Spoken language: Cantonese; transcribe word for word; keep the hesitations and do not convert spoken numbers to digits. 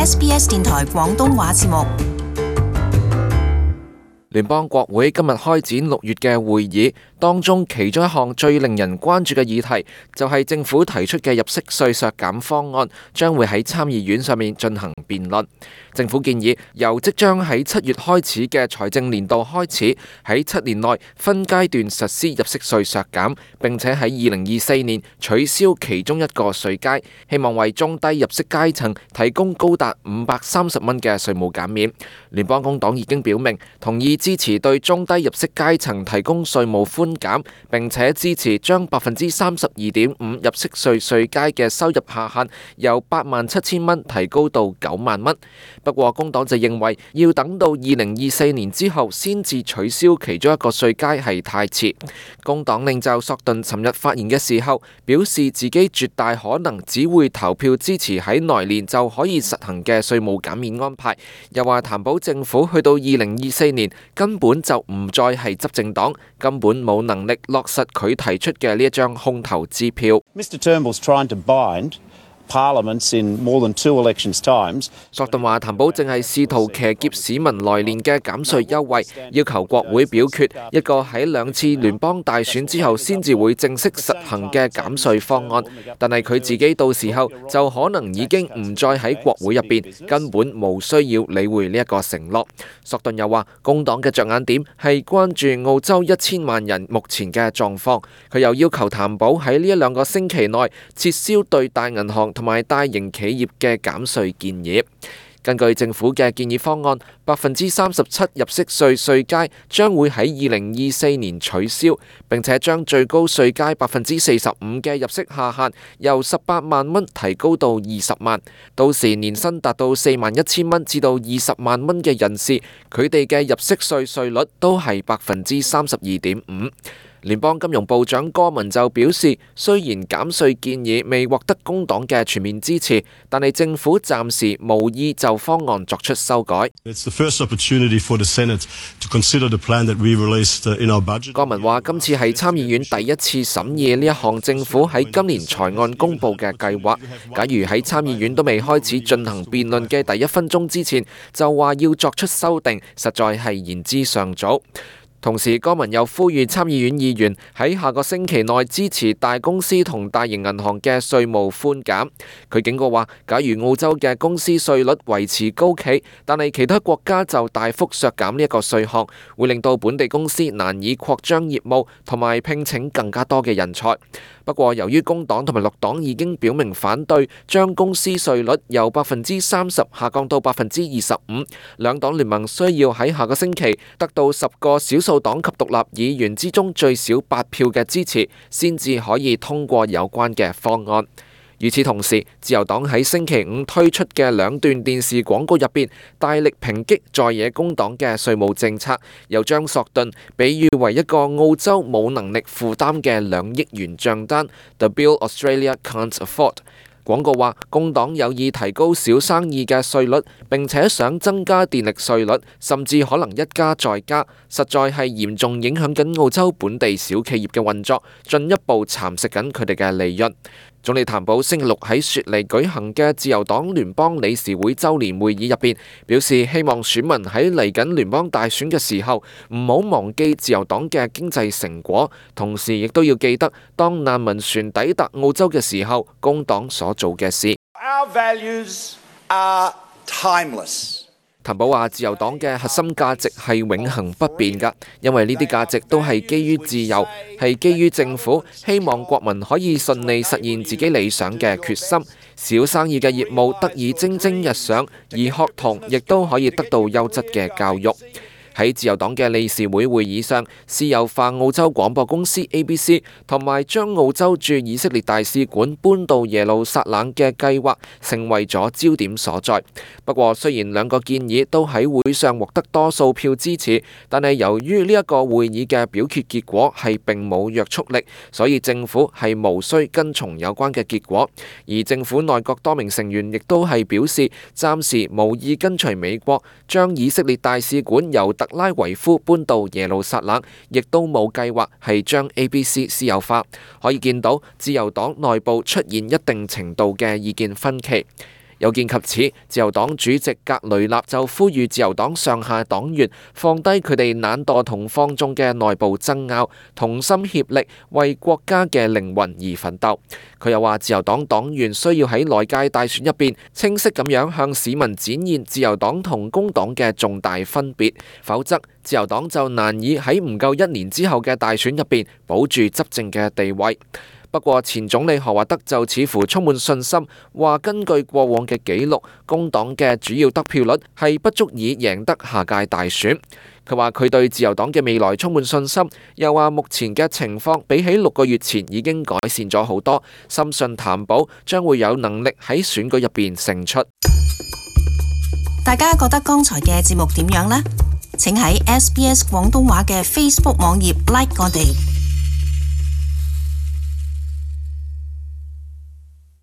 S B S 電台廣東話節目。聯邦國會今日開展六月嘅會議，當中其中一項最令人關注嘅議題就係政府提出嘅入息稅削減方案，將會喺參議院上面進行辯論。政府建議由即將喺七月開始嘅財政年度開始，喺七年內分階段實施入息稅削減，並且喺二零二四年取消其中一個稅階，希望為中低入息階層提供高達五百三十蚊嘅稅務減免。聯邦工黨已經表明同意支持對中低入息階層提供稅務寬減，並且支持將百分之三十二點五入息稅稅階嘅收入下限由八萬七千蚊提高到九萬蚊。不過工黨就認為要等到二零二四年之後先至取消其中一個稅階係太遲。工黨領袖索頓尋日發言嘅時候表示，自己絕大可能只會投票支持喺來年就可以實行嘅稅務減免安排，又話擔保政府去到二零二四年根本就唔再係執政黨，根本冇能力落實佢提出嘅呢一張空頭支票。Mr Turnbull's trying to bind Parliaments in more than two elections times. 索頓話，譚寶正係試圖騎劫市民來年嘅減稅優惠，要求國會表決一個喺兩次聯邦大選之後先至會正式實行嘅減稅方案。但係佢自己到時候就可能已經唔再喺國會入邊，根本冇需要理會呢一個承諾。索頓又話，工黨嘅着眼點係關注澳洲一千萬人目前嘅狀況。佢又要求譚寶喺呢一兩個星期內撤銷對大銀行同埋大型企業嘅減稅建議。根據政府嘅建議方案，百分之三十七入息稅稅階將會喺二零二四年取消，並且將最高稅階百分之四十五嘅入息下限由十八萬蚊提高到二十萬。到時年薪達到四萬一千蚊至到二十萬蚊嘅人士，佢哋嘅入息稅稅率都係百分之三十二點五。聯邦金融部長戈文就表示，雖然減稅建議未獲得工黨嘅全面支持，但係政府暫時無意就方案作出修改。戈文話：今次係參議院第一次審議呢一項政府喺今年財案公佈嘅計劃。假如喺參議院都未開始進行辯論嘅第一分鐘之前，就話要作出修訂，實在係言之尚早。同時，戈文又呼籲參議院議員喺下個星期內支持大公司同大型銀行嘅稅務寬減。佢警告話，假如澳洲嘅公司稅率維持高企，但係其他國家就大幅削減呢一個稅項，會令到本地公司難以擴張業務同埋聘請更加多嘅人才。不過，由於工黨同埋綠黨已經表明反對將公司稅率由百分之三十下降到百分之二十五，兩黨聯盟需要喺下個星期得到十個少數黨及獨立議員之中最少八票嘅支持，先至可以通過有關嘅方案。與此同時，自由黨喺星期五推出嘅兩段電視廣告入邊，大力抨擊在野工黨嘅稅務政策，又將索頓比喻為一個澳洲冇能力負擔嘅兩億元帳單 ，The bill Australia can't afford。廣告話，工黨有意提高小生意嘅稅率，並且想增加電力稅率，甚至可能一加再加，實在係嚴重影響緊澳洲本地小企業嘅運作，進一步蠶食緊佢哋嘅利潤。總理譚寶星期六喺雪梨舉行嘅自由黨聯邦理事會週年會議入邊，表示希望選民喺嚟緊聯邦大選嘅時候唔好忘記自由黨嘅經濟成果，同時亦都要記得當難民船抵達澳洲嘅時候，工黨所做嘅事。Our values are timeless. 譚寶話：自由黨嘅核心價值係永恆不變㗎，因為呢啲價值都係基於自由，係基於政府希望國民可以順利實現自己理想嘅決心，小生意嘅業務得以蒸蒸日上，而學童亦都可以得到優質嘅教育。喺自由黨嘅理事會會議上，私有化澳洲廣播公司 A B C 同埋將澳洲駐以色列大使館搬到耶路撒冷嘅計劃成為咗焦點所在。不過，雖然兩個建議都喺會上獲得多數票支持，但係由於呢一個會議嘅表決結果係並冇約束力，所以政府係無需跟從有關嘅結果。而政府內閣多名成員亦都係表示，暫時無意跟隨美國將以色列大使館由特拉維夫搬到耶路撒冷，亦都冇計劃係將 A B C 私有化。可以見到自由黨內部出現一定程度嘅意見分歧。有見及此，自由黨主席格雷納就呼籲自由黨上下黨員放低佢哋懶惰同放縱嘅內部爭拗，同心協力為國家嘅靈魂而奮鬥。佢又話，自由黨黨員需要喺內界大選入邊清晰咁樣向市民展現自由黨同工黨嘅重大分別，否則自由黨就難以喺唔夠一年之後嘅大選入邊保住執政嘅地位。不過前總理何華德就似乎充滿信心，話根據過往嘅紀錄，工黨嘅主要得票率係不足以贏得下屆大選。佢話佢對自由黨嘅未來充滿信心，又話目前嘅情況比起六個月前已經改善咗好多，深信譚寶將會有能力喺選舉入邊勝出。大家覺得剛才嘅節目點樣呢？請喺 S B S 廣東話嘅 Facebook 網頁 like 我哋。